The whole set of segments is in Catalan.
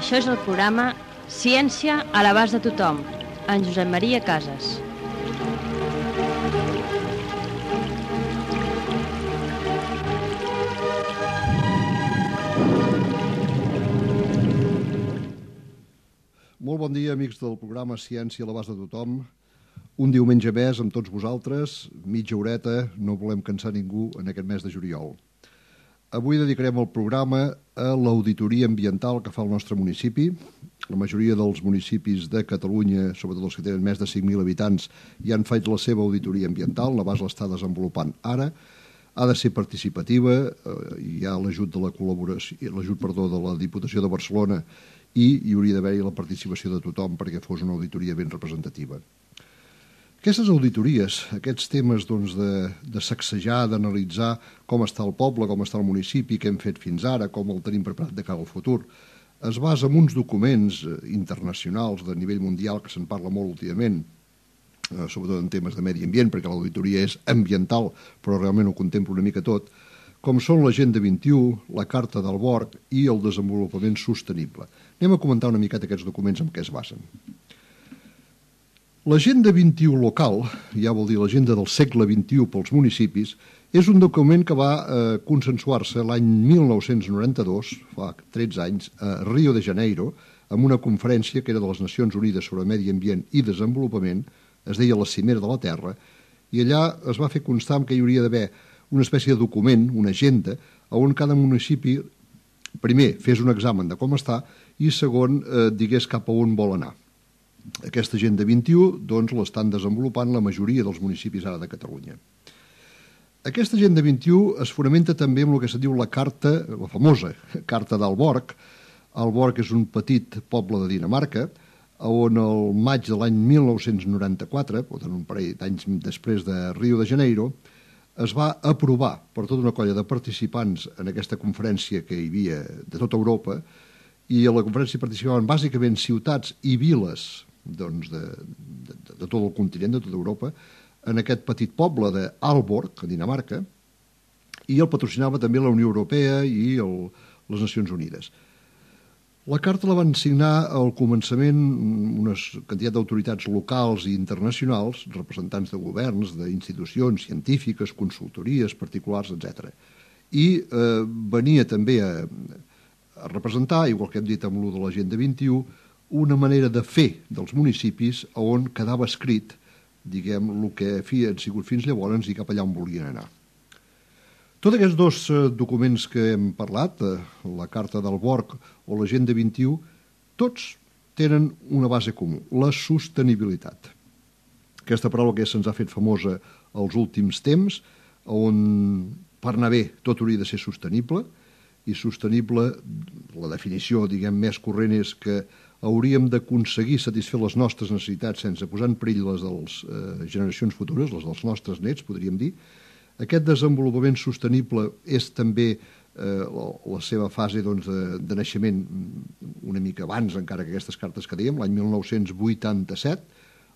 Això és el programa Ciència a l'abast de tothom, en Josep Maria Casas. Molt bon dia, amics del programa Ciència a l'abast de tothom. Un diumenge més amb tots vosaltres, mitja horeta, no volem cansar ningú en aquest mes de juliol. Avui dedicarem el programa a l'auditoria ambiental que fa el nostre municipi. La majoria dels municipis de Catalunya, sobretot els que tenen més de 5.000 habitants, ja han fet la seva auditoria ambiental, la base l'està desenvolupant ara. Ha de ser participativa, hi ha l'ajut de la col·laboració, de la Diputació de Barcelona i hi hauria d'haver-hi la participació de tothom perquè fos una auditoria ben representativa. Aquestes auditories, aquests temes de sacsejar, d'analitzar com està el poble, com està el municipi, què hem fet fins ara, com el tenim preparat de cara al futur, es basa en uns documents internacionals de nivell mundial que se'n parla molt últimament, sobretot en temes de medi ambient, perquè l'auditoria és ambiental, però realment ho contempla una mica tot, com són l'Agenda 21, la Carta del Borg i el Desenvolupament Sostenible. Anem a comentar una miqueta aquests documents en què es basen. L'Agenda 21 local, ja vol dir l'Agenda del segle XXI pels municipis, és un document que va consensuar-se l'any 1992, fa 13 anys, a Rio de Janeiro, amb una conferència que era de les Nacions Unides sobre Medi Ambient i Desenvolupament, es deia la Cimera de la Terra, i allà es va fer constar que hi hauria d'haver una espècie de document, una agenda, on cada municipi, primer, fes un examen de com està i segon, digués cap a on vol anar. Aquesta Agenda 21 doncs, l'estan desenvolupant la majoria dels municipis ara de Catalunya. Aquesta Agenda 21 es fonamenta també en el que se diu la famosa Carta del Borg. El Borg és un petit poble de Dinamarca, on el maig de l'any 1994, per tant un parell d'anys després de Rio de Janeiro, es va aprovar per tota una colla de participants en aquesta conferència que hi havia de tota Europa, i a la conferència participaven bàsicament ciutats i viles de tot el continent, de tota Europa, en aquest petit poble d'Aalborg, a Dinamarca, i el patrocinava també la Unió Europea i les Nacions Unides. La carta la van signar al començament una quantitat d'autoritats locals i internacionals, representants de governs, d'institucions científiques, consultories, particulars, etc. I venia també a representar, igual que hem dit amb l'U de l'Agenda 21, una manera de fer dels municipis on quedava escrit, diguem, el que han sigut fins llavors i cap allà on volien anar. Tots aquests dos documents que hem parlat, la Carta del Borg o l'Agenda 21, tots tenen una base comú, la sostenibilitat. Aquesta paraula que se'ns ha fet famosa als últims temps, on per anar bé tot hauria de ser sostenible, i sostenible, la definició diguem més corrent és que hauríem d'aconseguir satisfer les nostres necessitats sense posar en perill les de les generacions futures, les dels nostres nets, podríem dir. Aquest desenvolupament sostenible és també la seva fase de naixement una mica abans, encara que aquestes cartes que dèiem, l'any 1987,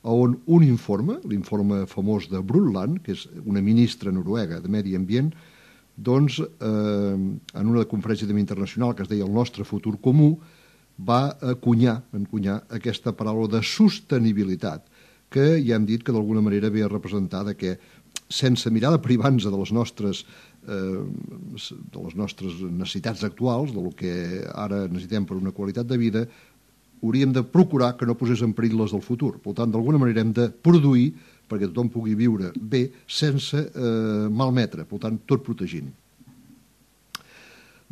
on un informe, l'informe famós de Brundtland, que és una ministra noruega de Medi Ambient, doncs, en una conferència internacional que es deia El nostre futur comú, va encunyar aquesta paraula de sostenibilitat, que ja hem dit que d'alguna manera ve a representar que sense mirar de privar-nos de les nostres necessitats actuals, del que ara necessitem per una qualitat de vida, hauríem de procurar que no posés en perill les del futur. Per tant, d'alguna manera hem de produir perquè tothom pugui viure bé sense malmetre, per tant, tot protegint.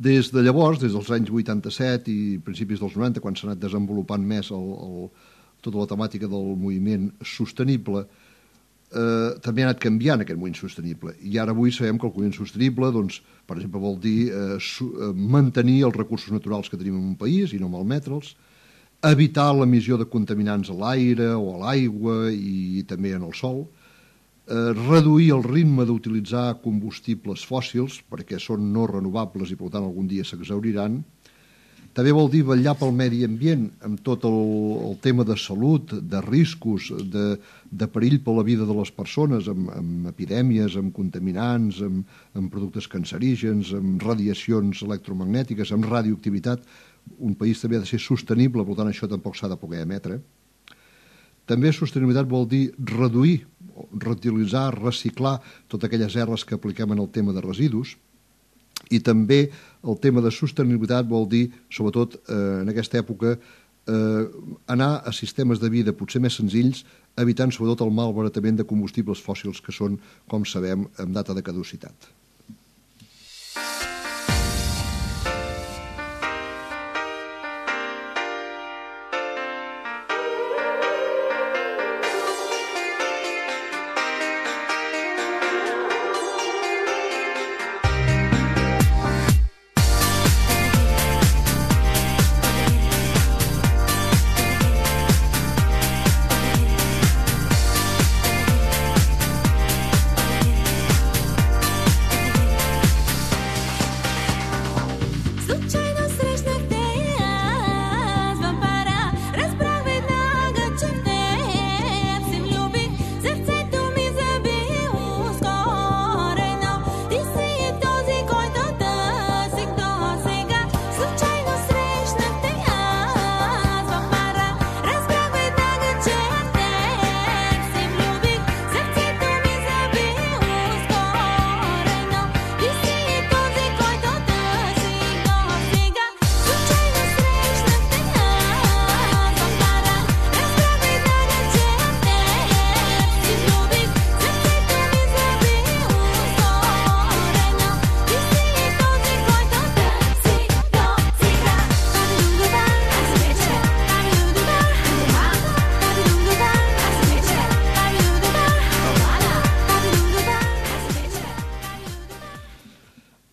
Des de llavors, des dels anys 87 i principis dels 90, quan s'ha anat desenvolupant més tota la temàtica del moviment sostenible, també ha anat canviant aquest moviment sostenible. I ara avui sabem que el moviment sostenible, doncs, per exemple, vol dir mantenir els recursos naturals que tenim en un país i no malmetre'ls, evitar l'emissió de contaminants a l'aire o a l'aigua i també en el sòl, reduir el ritme d'utilitzar combustibles fòssils perquè són no renovables i per tant algun dia s'exhauriran. També vol dir vetllar pel medi ambient amb tot el tema de salut, de riscos, de perill per la vida de les persones, amb epidèmies, amb contaminants, amb productes cancerígens, amb radiacions electromagnètiques, amb radioactivitat. un país també ha de ser sostenible, per tant això tampoc s'ha de poder emetre. També sostenibilitat vol dir reduir, reutilitzar, reciclar totes aquelles erres que apliquem en el tema de residus, i també el tema de sostenibilitat vol dir, sobretot en aquesta època, anar a sistemes de vida potser més senzills, evitant sobretot el malbaratament de combustibles fòssils que són, com sabem, amb data de caducitat.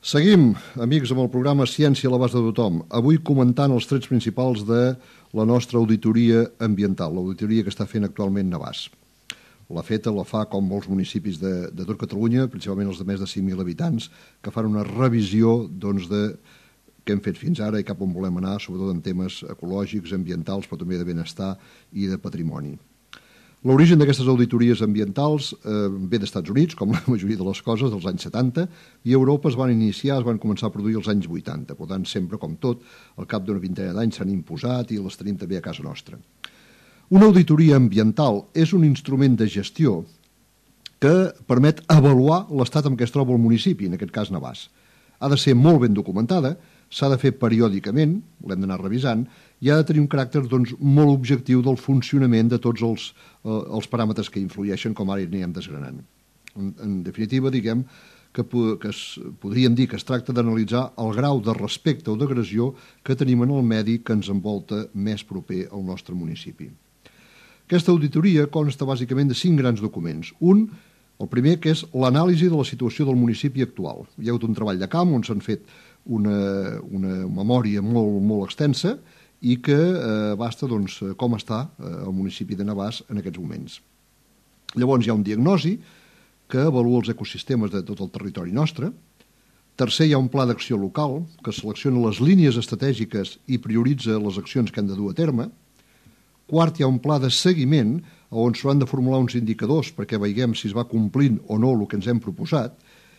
Seguim, amics, amb el programa Ciència a l'abast de tothom. Avui comentant els trets principals de la nostra auditoria ambiental, l'auditoria que està fent actualment Navàs. La fa com molts municipis de tot Catalunya, principalment els de més de 5.000 habitants, que fan una revisió de què hem fet fins ara i cap on volem anar, sobretot en temes ecològics, ambientals, però també de benestar i de patrimoni. L'origen d'aquestes auditories ambientals ve d'Estats Units, com la majoria de les coses, dels anys 70, i a Europa es van començar a produir als anys 80. Per tant, sempre, com tot, al cap d'una vintena d'anys s'han imposat i les tenim també a casa nostra. Una auditoria ambiental és un instrument de gestió que permet avaluar l'estat en què es troba el municipi, en aquest cas Navàs. Ha de ser molt ben documentada, s'ha de fer periòdicament, l'hem d'anar revisant, i ha de tenir un caràcter molt objectiu del funcionament de tots els paràmetres que influeixen, com ara anirem desgranant. En definitiva, diguem que podríem dir que es tracta d'analitzar el grau de respecte o d'agressió que tenim en el medi que ens envolta més proper al nostre municipi. Aquesta auditoria consta bàsicament de 5 grans documents. El primer, que és l'anàlisi de la situació del municipi actual. Hi ha hagut un treball de camp on s'han fet una memòria molt extensa i que abasta com està el municipi de Navàs en aquests moments. Llavors hi ha un diagnosi que avalua els ecosistemes de tot el territori nostre. Tercer, hi ha un pla d'acció local que selecciona les línies estratègiques i prioritza les accions que han de dur a terme. Quart, hi ha un pla de seguiment on s'han de formular uns indicadors perquè veiem si es va complint o no el que ens hem proposat.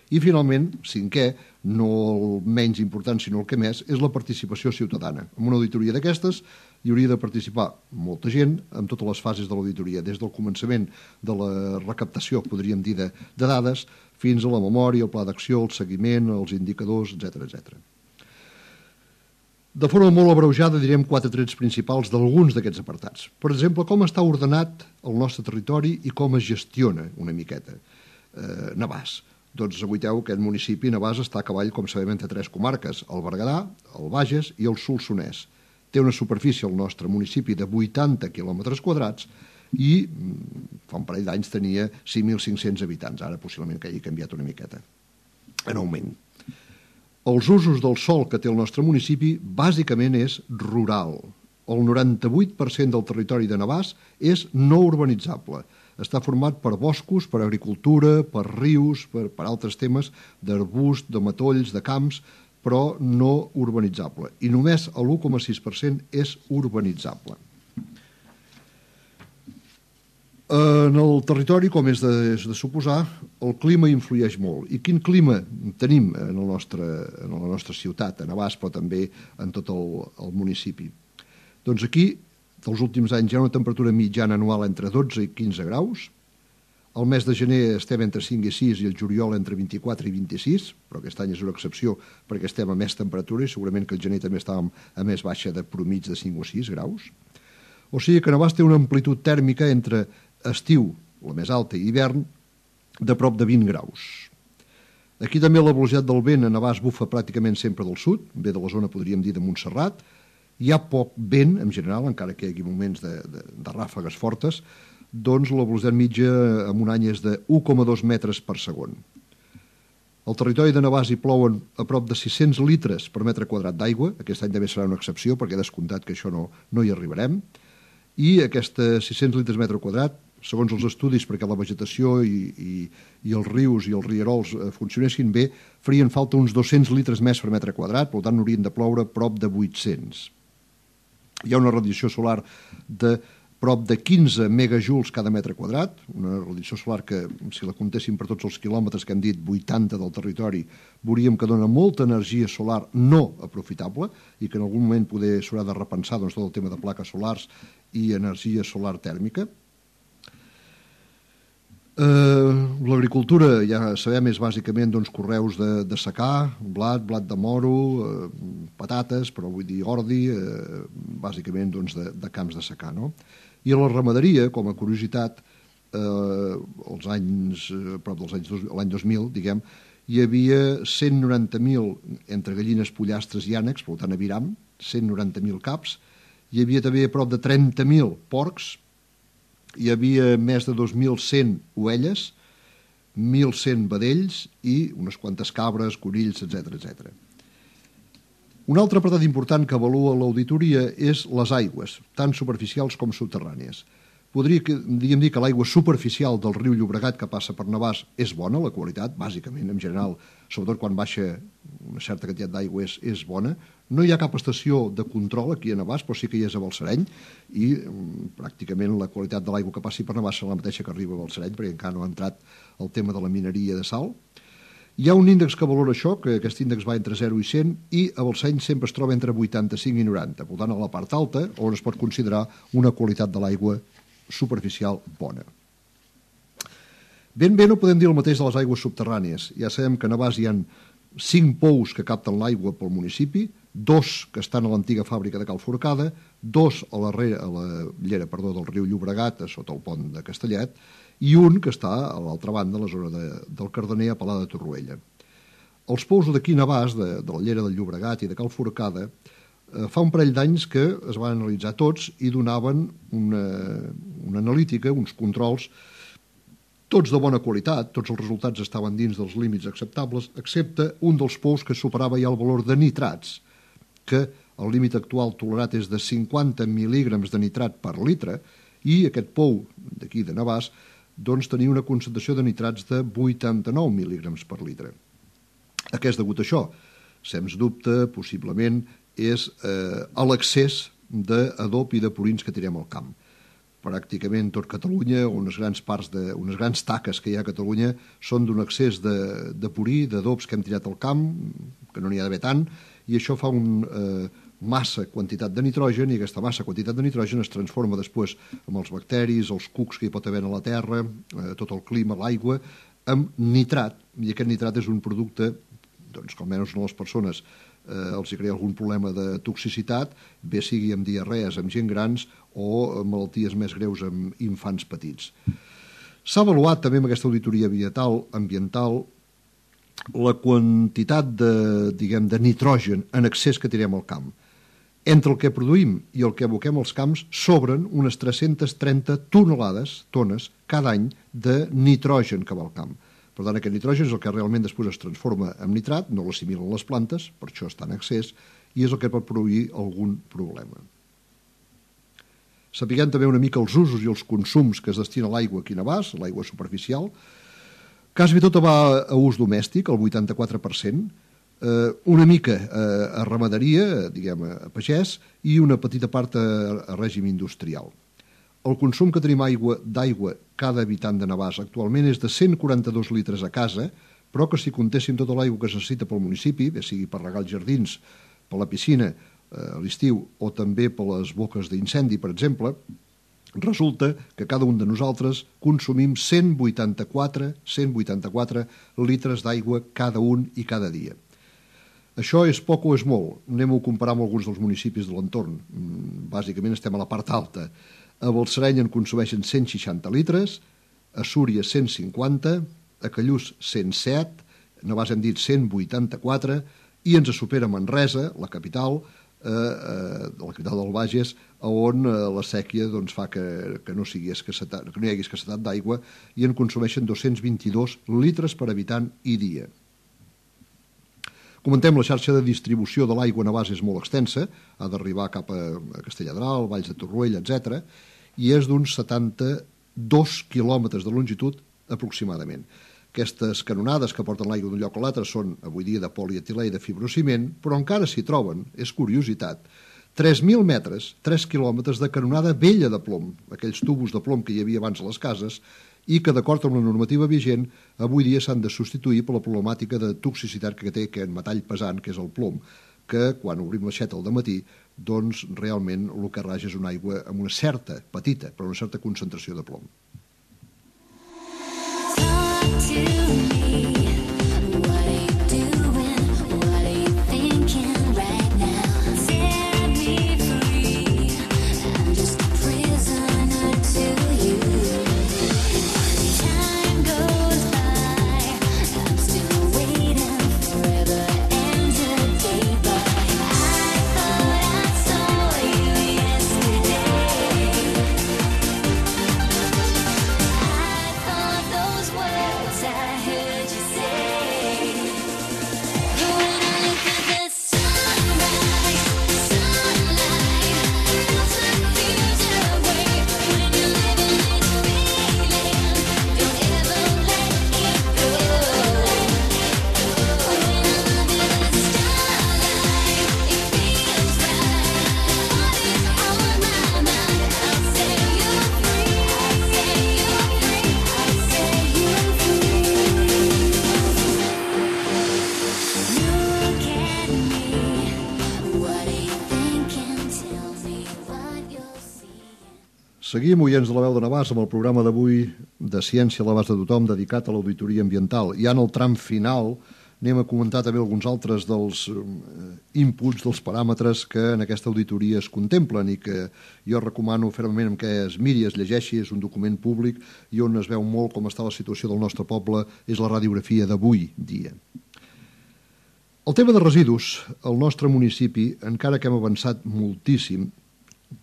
I finalment, cinquè, no el menys important sinó el que més, és la participació ciutadana. En una auditoria d'aquestes hi hauria de participar molta gent en totes les fases de l'auditoria, des del començament de la recaptació, podríem dir, de dades, fins a la memòria, el pla d'acció, el seguiment, els indicadors, etc. De forma molt abreujada direm 4 trets principals d'alguns d'aquests apartats. Per exemple, com està ordenat el nostre territori i com es gestiona una miqueta Navàs. Doncs aguaiteu que aquest municipi Navàs està a cavall, com sabem, entre 3 comarques, el Berguedà, el Bages i el Solsonès. Té una superfície al nostre municipi de 80 quilòmetres quadrats i fa un parell d'anys tenia 5.500 habitants, ara possiblement que hagi canviat una miqueta, en augment. Els usos del sòl que té el nostre municipi bàsicament és rural. El 98% del territori de Navàs és no urbanitzable. Està format per boscos, per agricultura, per rius, per altres temes d'arbust, de matolls, de camps, però no urbanitzable. I només l'1,6% és urbanitzable. En el territori, com és de suposar, el clima influeix molt. I quin clima tenim en la nostra ciutat, a Navàs, però també en tot el municipi? Doncs aquí, dels últims anys, hi ha una temperatura mitjana anual entre 12 i 15 graus. Al mes de gener estem entre 5 i 6 i el juliol entre 24 i 26, però aquest any és una excepció perquè estem a més temperatura i segurament que el gener també estàvem a més baixa de promig de 5 o 6 graus. O sigui que Navàs té una amplitud tèrmica entre estiu, la més alta, i hivern, de prop de 20 graus. Aquí també la velocitat del vent a Navàs bufa pràcticament sempre del sud, ve de la zona, podríem dir, de Montserrat. Hi ha poc vent, en general, encara que hi hagi moments de ràfegues fortes, doncs la velocitat mitja en un any és de 1,2 metres per segon. Al territori de Navàs hi plouen a prop de 600 litres per metre quadrat d'aigua, aquest any també serà una excepció perquè he descomptat que això no hi arribarem, i aquests 600 litres metre quadrat, segons els estudis, perquè la vegetació i els rius i els rierols funcionessin bé, farien falta uns 200 litres més per metre quadrat, per tant n'haurien de ploure prop de 800. Hi ha una radiació solar de prop de 15 megajuls cada metre quadrat, una radiació solar que, si la comptéssim per tots els quilòmetres que hem dit, 80 del territori, veuríem que dona molta energia solar no aprofitable i que en algun moment poder s'haurà de repensar tot el tema de plaques solars i energia solar tèrmica. L'agricultura, ja sabem, és bàsicament conreus de secà, blat de moro, patates, però vull dir ordi, bàsicament de camps de secà, no? I a la ramaderia, com a curiositat, l'any 2000, diguem, hi havia 190.000 entre gallines, pollastres i ànecs, per tant aviram, 190.000 caps, hi havia també a prop de 30.000 porcs, hi havia més de 2.100 ovelles, 1.100 vedells i unes quantes cabres, conills, etc. Un altre apartat important que avalua l'auditoria és les aigües, tant superficials com subterrànies. Podríem dir que l'aigua superficial del riu Llobregat que passa per Navàs és bona, la qualitat, bàsicament, en general, sobretot quan baixa una certa quantitat d'aigua és bona. No hi ha cap estació de control aquí a Navàs, però sí que hi és a Balsareny, i pràcticament la qualitat de l'aigua que passi per Navàs serà la mateixa que arriba a Balsareny, perquè encara no ha entrat el tema de la mineria de sal. Hi ha un índex que valora això, que aquest índex va entre 0 i 100, i a Balsareny sempre es troba entre 85 i 90, per tant a la part alta, on es pot considerar una qualitat de l'aigua superficial bona. Ben bé no podem dir el mateix de les aigües subterrànies. Ja sabem que a Navàs hi ha 5 pous que capten l'aigua pel municipi, 2 que estan a l'antiga fàbrica de Cal Forcada, 2 a la llera del riu Llobregat, sota el pont de Castellet, i un que està a l'altra banda, a la zona del Cardener, a Palà de Torroella. Els pous d'aquí a Navàs, de la llera del Llobregat i de Cal Forcada, fa un parell d'anys que es van analitzar tots i donaven una analítica, uns controls, tots de bona qualitat, tots els resultats estaven dins dels límits acceptables, excepte un dels pous que superava ja el valor de nitrats, que el límit actual tolerat és de 50 mil·lígrams de nitrat per litre, i aquest pou d'aquí de Navàs doncs tenia una concentració de nitrats de 89 mil·lígrams per litre. A què és degut això? Sens dubte, possiblement, és a l'excés d'adob i de purins que tirem al camp. Pràcticament tot Catalunya, unes grans taques que hi ha a Catalunya, són d'un excés de purí, d'adobs que hem tirat al camp, que no n'hi ha d'haver tant, i això fa una massa quantitat de nitrogen, i aquesta massa quantitat de nitrogen es transforma després amb els bacteris, els cucs que hi pot haver a la terra, tot el clima, l'aigua, amb nitrat, i aquest nitrat és un producte que almenys a les persones els hi crea algun problema de toxicitat, bé sigui amb diarrees amb gent grans o malalties més greus amb infants petits. S'ha avaluat també amb aquesta auditoria ambiental la quantitat de nitrogen en excés que tirem al camp. Entre el que produïm i el que aboquem als camps sobren unes 330 tones cada any de nitrogen que va al camp. Per tant, aquest nitrogen és el que realment després es transforma en nitrat, no l'assimilen les plantes, per això està en excés, i és el que pot produir algun problema. Sapiguem també una mica els usos i els consums que es destina a l'aigua aquí a Navàs, l'aigua superficial. Quasi tota va a ús domèstic, el 84%, una mica a ramaderia, diguem, a pagès, i una petita part a règim industrial. El consum que tenim d'aigua cada habitant de Navàs actualment és de 142 litres a casa, però que si comptéssim tota l'aigua que es necessita pel municipi, bé sigui per regar els jardins, per la piscina a l'estiu o també per les boques d'incendi, per exemple, resulta que cada un de nosaltres consumim 184 litres d'aigua cada un i cada dia. Això és poc o és molt? Anem-ho a comparar amb alguns dels municipis de l'entorn. Bàsicament estem a la part alta. A Balsareny en consumeixen 160 litres, a Súria 150, a Callús 107, a Navàs hem dit 184, i ens supera Manresa, la capital del Bages, on la sèquia fa que no hi hagi escassetat d'aigua i en consumeixen 222 litres per habitant i dia. Comentem, la xarxa de distribució de l'aigua a Navàs és molt extensa, ha d'arribar cap a Castelladral, Valls de Torroella, etc., i és d'uns 72 quilòmetres de longitud aproximadament. Aquestes canonades que porten l'aigua d'un lloc a l'altre són avui dia de polietilè i de fibrociment, però encara s'hi troben, és curiositat, 3.000 metres, 3 quilòmetres de canonada vella de plom, aquells tubos de plom que hi havia abans a les cases, i que, d'acord amb la normativa vigent, avui dia s'han de substituir per la problemàtica de toxicitat que té aquest metall pesant, que és el plom, que quan obrim l'aixeta al dematí, doncs realment el que raja és una aigua amb una certa, petita, però una certa concentració de plom. Seguim, oients de la Veu de Navàs, amb el programa d'avui de Ciència a l'abast de tothom dedicat a l'auditoria ambiental. Ja en el tram final anem a comentar també alguns altres dels inputs, dels paràmetres que en aquesta auditoria es contemplen i que jo recomano fermament que es miri, es llegeixi, és un document públic i on es veu molt com està la situació del nostre poble, és la radiografia d'avui dia. El tema de residus, al nostre municipi, encara que hem avançat moltíssim,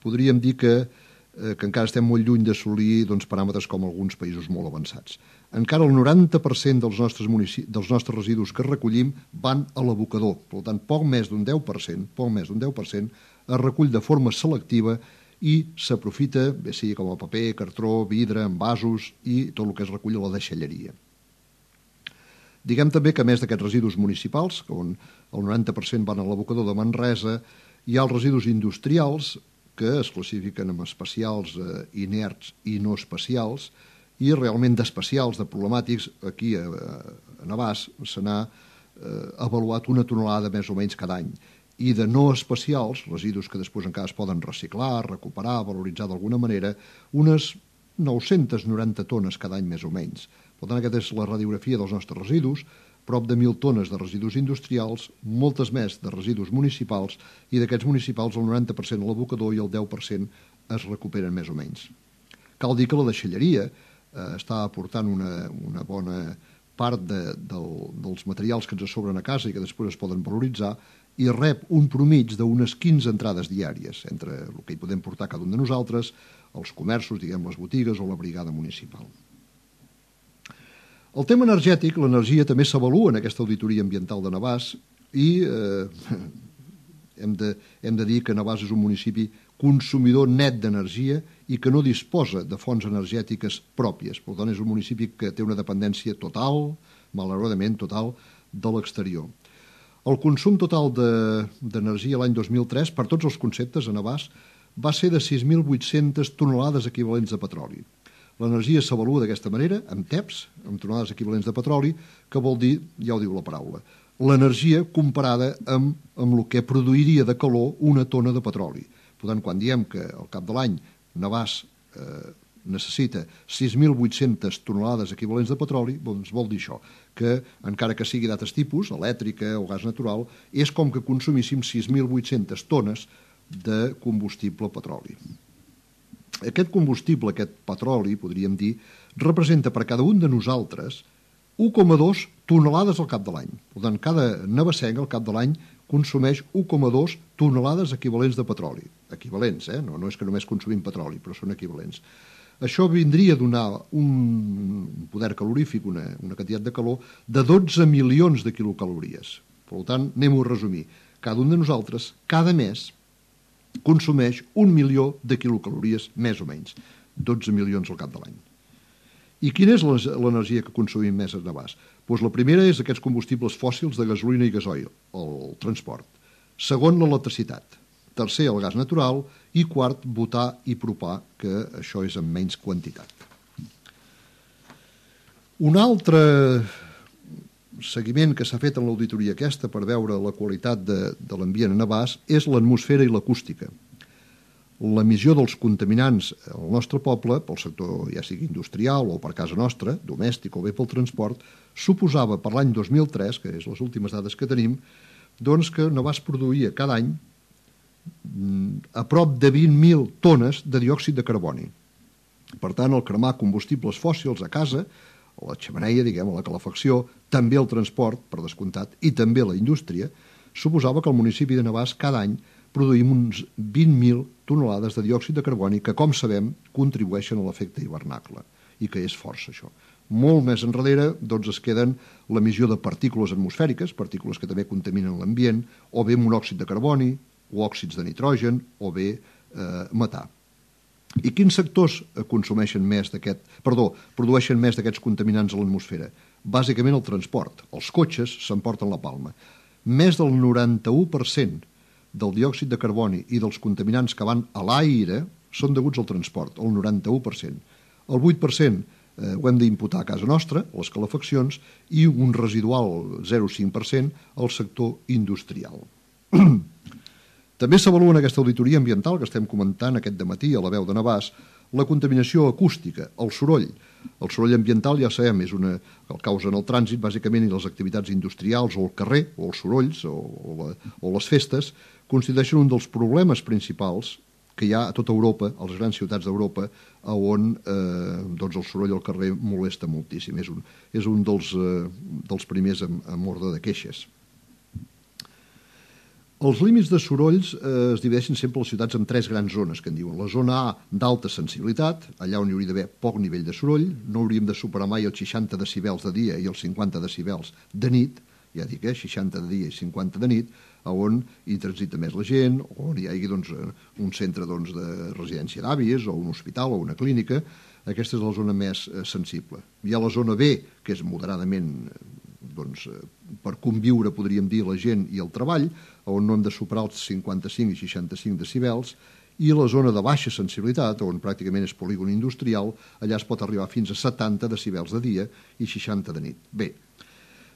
podríem dir que encara estem molt lluny d'assolir paràmetres com alguns països molt avançats. Encara el 90% dels nostres residus que recollim van a l'abocador. Per tant, poc més d'un 10% es recull de forma selectiva i s'aprofita, bé sigui com a paper, cartró, vidre, envasos i tot el que es recull a la deixalleria. Diguem també que a més d'aquests residus municipals, on el 90% van a l'abocador de Manresa, hi ha els residus industrials, que es classifiquen en especials, inerts i no especials, i realment d'especials, de problemàtics, aquí a Navàs se n'ha avaluat una tonelada més o menys cada any. I de no especials, residus que després encara es poden reciclar, recuperar, valoritzar d'alguna manera, unes 990 tones cada any més o menys. Per tant, aquesta és la radiografia dels nostres residus, prop de 1.000 tones de residus industrials, moltes més de residus municipals, i d'aquests municipals el 90% a l'abocador i el 10% es recuperen més o menys. Cal dir que la deixalleria està aportant una bona part dels materials que ens sobren a casa i que després es poden valoritzar i rep un promig d'unes 15 entrades diàries entre el que hi podem portar cada un de nosaltres, els comerços, diguem les botigues o la brigada municipal. El tema energètic, l'energia també s'avalua en aquesta auditoria ambiental de Navàs i hem de dir que Navàs és un municipi consumidor net d'energia i que no disposa de fonts energètiques pròpies. Per tant, és un municipi que té una dependència total, malauradament total, de l'exterior. El consum total d'energia l'any 2003, per tots els conceptes a Navàs, va ser de 6.800 tonelades equivalents de petroli. L'energia s'avalua d'aquesta manera, amb TEPs, amb tonelades equivalents de petroli, que vol dir, ja ho diu la paraula, l'energia comparada amb el que produiria de calor una tona de petroli. Per tant, quan diem que al cap de l'any Navàs necessita 6.800 tonelades equivalents de petroli, doncs vol dir això, que encara que sigui d'altres tipus, elèctrica o gas natural, és com que consumíssim 6.800 tones de combustible petroli. Aquest combustible, aquest petroli, podríem dir, representa per cada un de nosaltres 1,2 tonelades al cap de l'any. Per tant, cada navassenc al cap de l'any consumeix 1,2 tonelades equivalents de petroli. Equivalents, no és que només consumim petroli, però són equivalents. Això vindria a donar un poder calorífic, una quantitat de calor, de 12 milions de quilocalories. Per tant, anem-ho a resumir. Cada un de nosaltres, cada mes, consumeix 1 milió de quilocalories, més o menys. 12 milions al cap de l'any. I quina és l'energia que consumim més a Navàs? Doncs la primera és aquests combustibles fòssils de gasolina i gasoil, el transport. Segon, l'electricitat. Tercer, el gas natural. I quart, butà i propà, que això és en menys quantitat. Un altre seguiment que s'ha fet en l'auditoria aquesta per veure la qualitat de l'ambient a Navàs és l'atmosfera i l'acústica. L'emissió dels contaminants al nostre poble, pel sector ja sigui industrial o per casa nostra, domèstic o bé pel transport, suposava per l'any 2003, que és les últimes dades que tenim, doncs que Navàs produïa cada any a prop de 20.000 tones de diòxid de carboni. Per tant, el cremar combustibles fòssils a casa, a la xemeneia, diguem, a la calefacció, també el transport, per descomptat, i també la indústria, suposava que el municipi de Navàs cada any produïm uns 20.000 tonelades de diòxid de carboni que, com sabem, contribueixen a l'efecte hivernacle, i que és força, això. Molt més enrere, doncs, es queden l'emissió de partícules atmosfèriques, partícules que també contaminen l'ambient, o bé monòxid de carboni, o òxids de nitrogen, o bé metà. I quins sectors produeixen més d'aquests contaminants a l'atmosfera? Bàsicament el transport. Els cotxes s'emporten la palma. Més del 91% del diòxid de carboni i dels contaminants que van a l'aire són deguts al transport, el 91%. El 8% ho hem d'imputar a casa nostra, a les calefaccions, i un residual 0,5% al sector industrial. També s'avalua en aquesta auditoria ambiental que estem comentant aquest dematí a la veu de Navàs la contaminació acústica, el soroll. El soroll ambiental, ja sabem, és el causa en el trànsit, bàsicament, i les activitats industrials o el carrer, o els sorolls, o les festes, constitueixen un dels problemes principals que hi ha a tota Europa, a les grans ciutats d'Europa, on el soroll al carrer molesta moltíssim. És un dels primers en ordre de queixes. Els límits de sorolls es divideixen sempre les ciutats en 3 grans zones, que en diuen. La zona A, d'alta sensibilitat, allà on hi hauria d'haver poc nivell de soroll, no hauríem de superar mai els 60 decibels de dia i els 50 decibels de nit, ja dic, 60 de dia i 50 de nit, on hi transita més la gent, on hi hagi un centre de residència d'àvies, o un hospital, o una clínica. Aquesta és la zona més sensible. Hi ha la zona B, que és moderadament per conviure, podríem dir, la gent i el treball, on no hem de superar els 55 i 65 decibels, i la zona de baixa sensibilitat, on pràcticament és polígon industrial, allà es pot arribar fins a 70 decibels de dia i 60 de nit. Bé,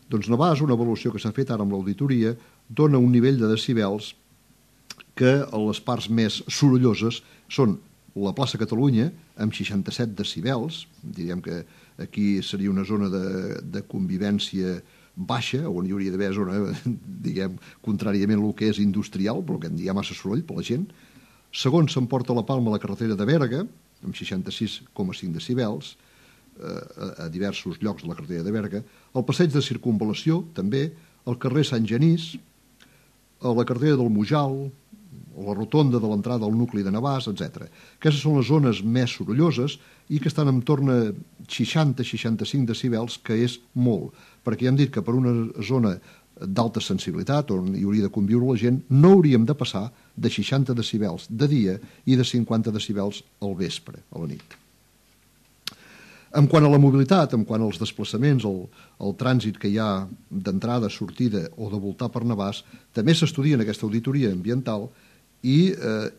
doncs Navàs, una avaluació que s'ha fet ara amb l'auditoria, dona un nivell de decibels que a les parts més sorolloses són la plaça Catalunya, amb 67 decibels, diríem que aquí seria una zona de convivència baixa, on hi hauria d'haver zona, diguem, contràriament al que és industrial, però que hi ha massa soroll per la gent. Segon, s'emporta la palma la carretera de Berga, amb 66,5 decibels, a diversos llocs de la carretera de Berga. El passeig de circunvalació, també, el carrer Sant Genís, la carretera del Mujal, la rotonda de l'entrada al nucli de Navàs, etc. Aquestes són les zones més sorolloses i que estan en torn a 60-65 decibels, que és molt, perquè ja hem dit que per una zona d'alta sensibilitat, on hi hauria de conviure la gent, no hauríem de passar de 60 decibels de dia i de 50 decibels al vespre, a la nit. En quant a la mobilitat, en quant als desplaçaments, el trànsit que hi ha d'entrada, sortida o de voltar per Navàs, també s'estudia en aquesta auditoria ambiental i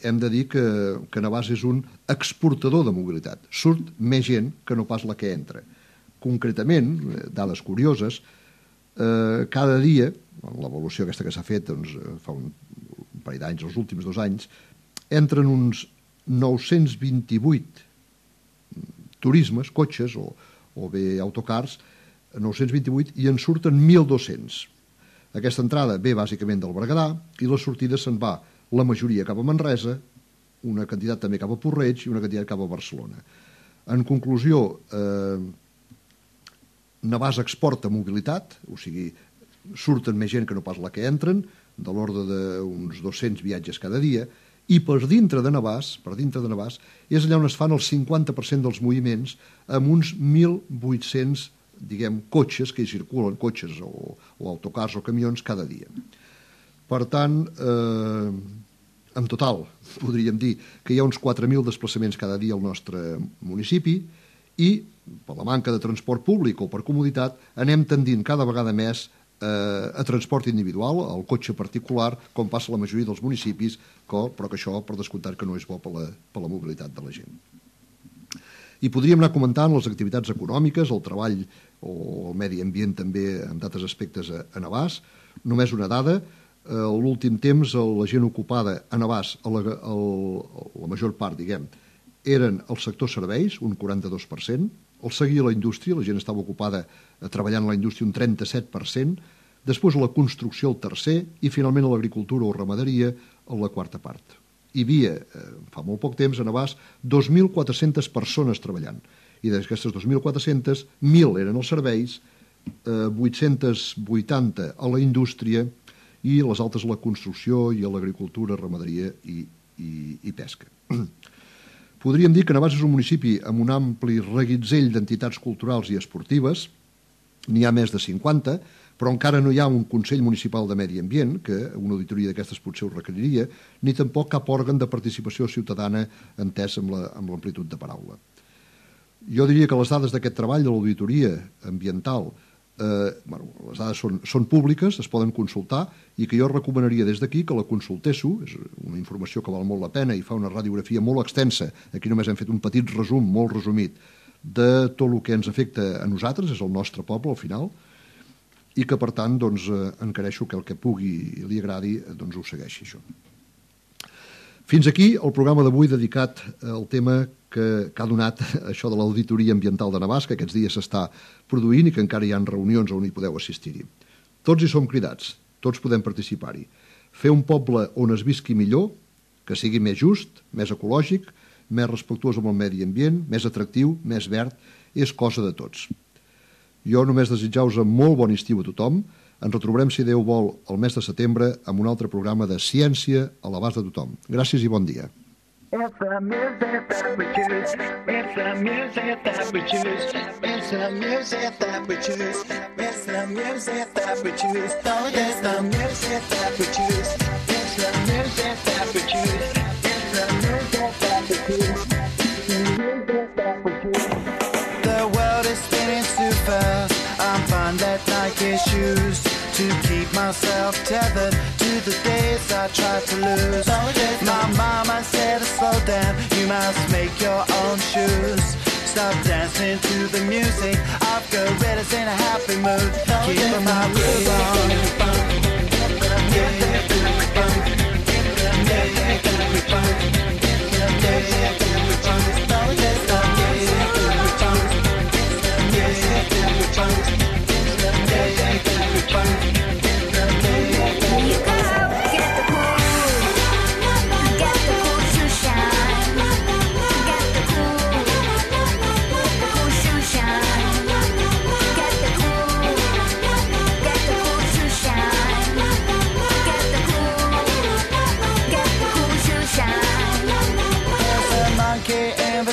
hem de dir que Navàs és un exportador de mobilitat. Surt més gent que no pas la que entra. Concretament, dades curioses, cada dia, l'evolució aquesta que s'ha fet doncs, fa un parell d'anys, els últims 2 anys, entren uns 928 turismes, cotxes o bé autocars, 928, i en surten 1.200. Aquesta entrada ve bàsicament del Berguedà i la sortida se'n va la majoria cap a Manresa, una quantitat també cap a Porreig i una quantitat cap a Barcelona. En conclusió, Navàs exporta mobilitat, o sigui, surten més gent que no pas la que entren, de l'ordre d'uns 200 viatges cada dia, i per dintre de Navàs, és allà on es fan el 50% dels moviments, amb uns 1.800, diguem, cotxes que hi circulen, cotxes o autocars o camions cada dia. Per tant, en total, podríem dir que hi ha uns 4.000 desplaçaments cada dia al nostre municipi i, per la manca de transport públic o per comoditat, anem tendint cada vegada més a transport individual, al cotxe particular, com passa a la majoria dels municipis, però que això, per descomptat, que no és bo per la mobilitat de la gent. I podríem anar comentant les activitats econòmiques, el treball o el medi ambient també en d'altres aspectes a Navàs. Només una dada: a l'últim temps la gent ocupada a Navàs, la major part, diguem, eren el sector serveis, un 42%, el seguia la indústria, la gent estava ocupada treballant a la indústria un 37%, després la construcció el tercer i finalment l'agricultura o ramaderia la quarta part. Hi havia, fa molt poc temps, a Navàs 2.400 persones treballant, i d'aquestes 2.400, 1.000 eren els serveis, 880 a la indústria i les altres a la construcció i a l'agricultura, ramaderia i pesca. Podríem dir que Navàs és un municipi amb un ampli reguitzell d'entitats culturals i esportives. N'hi ha més de 50, però encara no hi ha un Consell Municipal de Medi Ambient, que una auditoria d'aquestes potser ho requeriria, ni tampoc cap òrgan de participació ciutadana entès amb l'amplitud de paraula. Jo diria que les dades d'aquest treball de l'auditoria ambiental, les dades són públiques, es poden consultar, i que jo recomanaria des d'aquí que la consultéssiu. És una informació que val molt la pena i fa una radiografia molt extensa. Aquí només hem fet un petit resum, molt resumit, de tot el que ens afecta a nosaltres, és el nostre poble al final, i que per tant encareixo que el que pugui i li agradi ho segueixi això. Fins aquí el programa d'avui dedicat al tema que ha donat això de l'auditoria ambiental de Navàs, que aquests dies s'està produint i que encara hi ha reunions on hi podeu assistir-hi. Tots hi som cridats, tots podem participar-hi. Fer un poble on es visqui millor, que sigui més just, més ecològic, més respectuós amb el medi ambient, més atractiu, més verd, és cosa de tots. Jo només desitjar-vos un molt bon estiu a tothom. Ens retrobarem, si Déu vol, el mes de setembre amb un altre programa de ciència a l'abast de tothom. Gràcies i bon dia. It's the music that we choose. It's the music that we choose. It's the music that we choose. It's the music that we choose. It's the music that we choose. It's the music that we choose. It's the music that we choose. The world is spinning too fast. I'm fine that Nike shoes to keep myself tethered to the days I tried to lose. My mama said, slow down, you must make your own shoes. Stop dancing to the music of gorillas in a happy mood. Keep my groove on.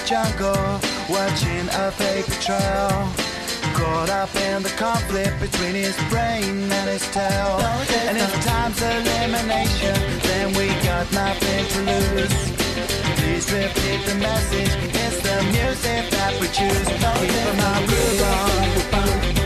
Jungle, watching a paper trail, caught up in the conflict between his brain and his tail. And if time's elimination, then we got nothing to lose. Please repeat the message, it's the music that we choose. Keep my groove on.